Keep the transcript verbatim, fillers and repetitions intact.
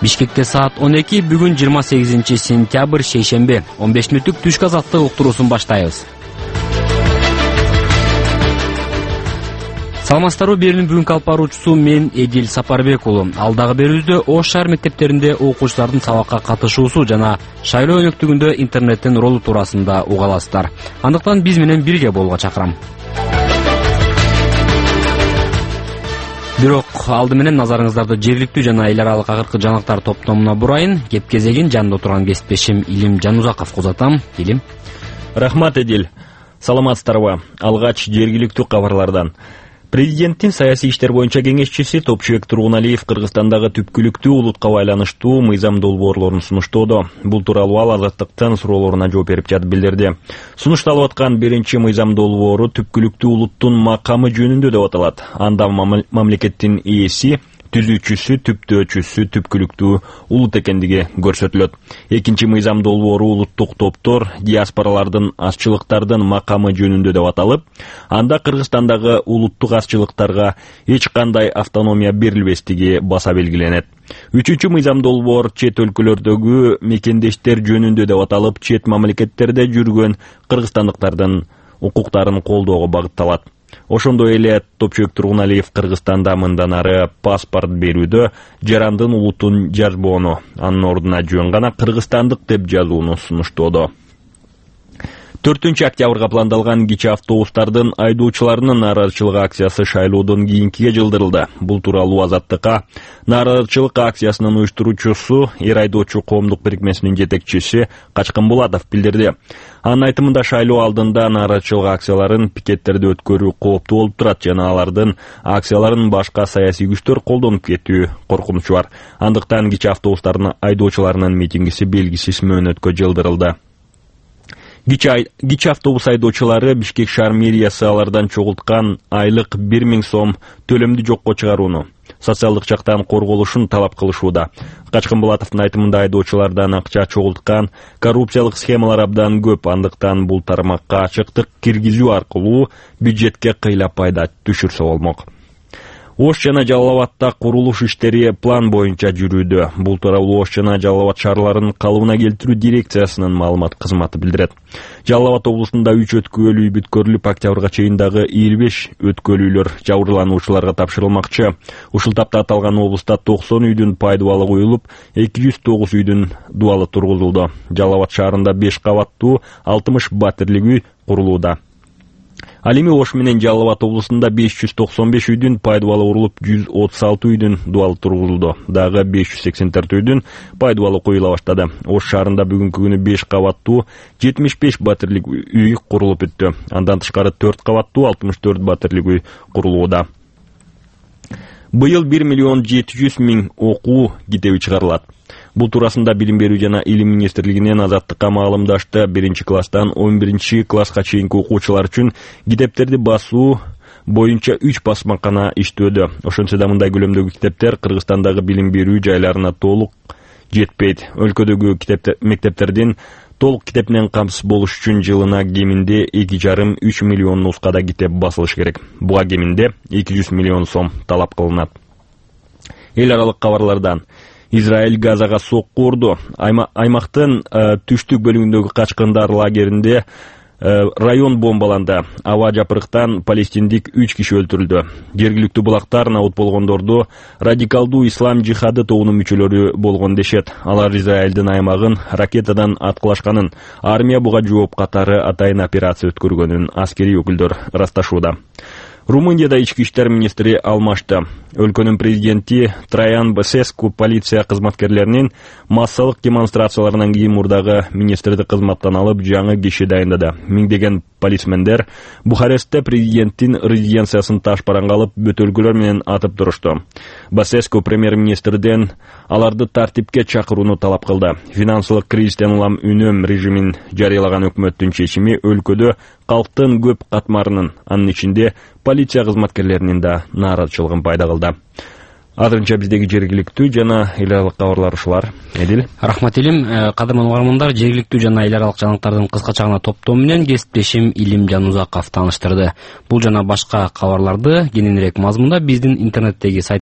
Бишкекте саат он эки, бүгүн жыйырма сегизинчи сентябрь, шейшемби. он беш мүнөттүк түшкү азаттык уктуруусун баштайбыз. Саламатсыздарбы, берүүнүн бүгүнкү алып баруучусу мен Эдил Сапарбек уулу. Алдагы берүүбүздө Ош шаар мектептеринде окуучулардын сабакка катышуусу жана шайлоо өнөктүгүндө интернеттин ролу туурасында уга аласыздар. Андыктан биз менен бирге болууга чакырам. Бирок алды менен назарыңыздарды жергиликтүү жана эл аралык акыркы жаңылыктар топтомуна бурайын. Кеп кезегин жанында отурган кесиптешим Илим Жанузаковго узатам. Илим. Рахмат, Эдил. Саламатсыздарбы? Алгач жергиликтүү кабарлардан. Президенттин саясий иштер боюнча кеңешчиси Топчубек Тургуналиев Кыргызстандагы түпкүлүктүү улутка байланыштуу мыйзам долбоорлорун сунуштоодо. Бул тууралуу ал Азаттыктын суроолоруна жооп берип жатып билдирди. Сунушталып аткан биринчи мыйзам долбоору түпкүлүктүү улуттун макамы жөнүндө деп аталат. Анда мамлекеттин ээси, түзүүчүсү, түптөөчүсү түпкүлүктүү улут экендиги көрсөтүлөт. Экинчи мыйзам долбоору улуттук топтор, диаспоралардын, азчылыктардын макамы жөнүндө деп аталып, анда Кыргызстандагы улуттук азчылыктарга эч кандай автономия берилбестиги баса белгиленет. Үчүнчү мыйзам долбоор чет өлкөлөрдөгү мекендештер жөнүндө деп аталып, чет мамлекеттерде жүргөн кыргызстандыктардын укуктарын колдоого багытталат. Ошондой эле Топчубек Тургуналиев Кыргызстанда мындан ары паспорт берүүдө жарандын улутун жазбоону, анын ордуна жөн гана кыргызстандык деп жазууну сунуштоодо. төртүнчү октябрга пландалган кичи автобустардын айдоочуларынын нааразычылык акциясы шайлоодон кийинкиге жылдырылды. Бул тууралуу Азаттыкка нааразычылык акциясынын уюштуруучусу, эр айдоочу коомдук бирикмесинин жетекчиси Качкын Булатов билдирди. Анын айтымында шайлоо алдында нааразычылык акцияларын, пикеттерди өткөрүү кооптуу болуп турат жана алардын акцияларын башка саясий күчтөр колдонуп кетүү коркунучу бар. Андыктан кичи автобустардын айдоочуларынын митингиси белгисиз мөөнөткө жылдырылды. Кичи автобус айдоочулары Бишкек шаар мэриясы алардан чогулткан айлык бир миң сом төлөмдү жокко чыгарууну, социалдык жактан корголушун талап кылышууда. Качкын Булатовдун айтымында айдоочулардан акча чогулткан коррупциялык схемалар абдан көп, андыктан бул тармакка ачыктык киргизүү аркылуу бюджетке кыйла пайда түшүрсө болмок. Ош жана Жалал Абадта курулуш иштери план боюнча жүрүүдө. Бул тууралуу Ош жана Жалал Абад шаарларын калыбына келтирүү дирекциясынын маалымат кызматы билдирет. Жалал Абад облусунда үч өткөл үй бүткөрүлүп, октябрга чейин дагы элүү беш өткөлүүлөр жабырлануучуларга тапшырылмакчы. Ушул тапта аталган облуста токсон үйдүн пайдубалы коюлуп, эки жүз тогуз үйдүн дубалы тургузулду. Жалал Абад шаарында беш кабаттуу алтымыш батирлик үй курулууда. Ал эми Ош менен Жалал Абад облусунда беш жүз токсон беш үйдүн пайдубалы курулуп, жүз отуз алты үйдүн дубалы тургузулду. Дагы беш жүз сексен төрт үйдүн пайдубалы коюла баштады. Ош шаарында бүгүнкү күнү беш кабаттуу жетимиш беш батирлик үй курулуп бүттү. Андан тышкары төрт кабаттуу алтымыш төрт батирлик үй курулууда. Быйыл бир миллион жети жүз миң окуу китеби чыгарылат. Бул туурасында Билим берүү жана Илим министрлигинен Азаттыкка маалымдашты. Биринчи класстан он биринчи класска чейинки окуучулар үчүн китептерди басуу боюнча үч басмакана иштөөдө. Ошентсе да мындай көлөмдөгү китептер Кыргызстандагы билим берүү жайларына толук жетпейт. Өлкөдөгү мектептердин толук китеп менен камсыз болуш үчүн жылына кеминде эки жарым үч миллион нускада китеп басылыш керек. Буга кеминде эки жүз миллион сом талап кылынат. Эл аралык кабарлардан. Израиль Газага сокку урду. Аймактын түштүк бөлүгүндөгү качкындар лагеринде район бомбаланды. Аба жапырыктан палестиндик үч киши өлтүрүлдү. Жергиликтүү булактар наут болгондорду радикалдуу ислам жихады тобунун мүчөлөрү болгон дешет. Алар Израилдин аймагын ракетадан аткылашканын, армия буга жооп катары атайын операция өткөргөнүн аскерий өкүлдөр ырасташууда. Румынияда ички иштер министри алмашты. Өлкөнүн президенти Траян Басеску полиция кызматкерлеринин массалык демонстрацияларынан кийин мурдагы министрди кызматтан алып, жаңы киши дайындады. Миңдеген полисмендер Бухарестте президенттин резиденциясын ташбаранга алып, бөтөлкөлөр менен атып турушту. Басеску премьер-министрден аларды тартипке чакырууну талап кылды. Финансылык кризистен улам үнөм режимин жарыялаган өкмөттүн чечими өлкөдө калктын көп катмарынын, анын ичинде полиция кызматкерлеринин да нааразычылыгын пайда кылды. Азырынча биздеги жергиликтүү жана эл аралык кабарлар ушулар. Эдил. Рахмат Илим. Кадырман угармандар, жергиликтүү жана эл аралык жаңылыктардын кыскача гана топтому менен кесиптешим Илим Жанузаков тааныштырды. Бул жана башка кабарларды кененирээк мазмунда биздин интернеттеги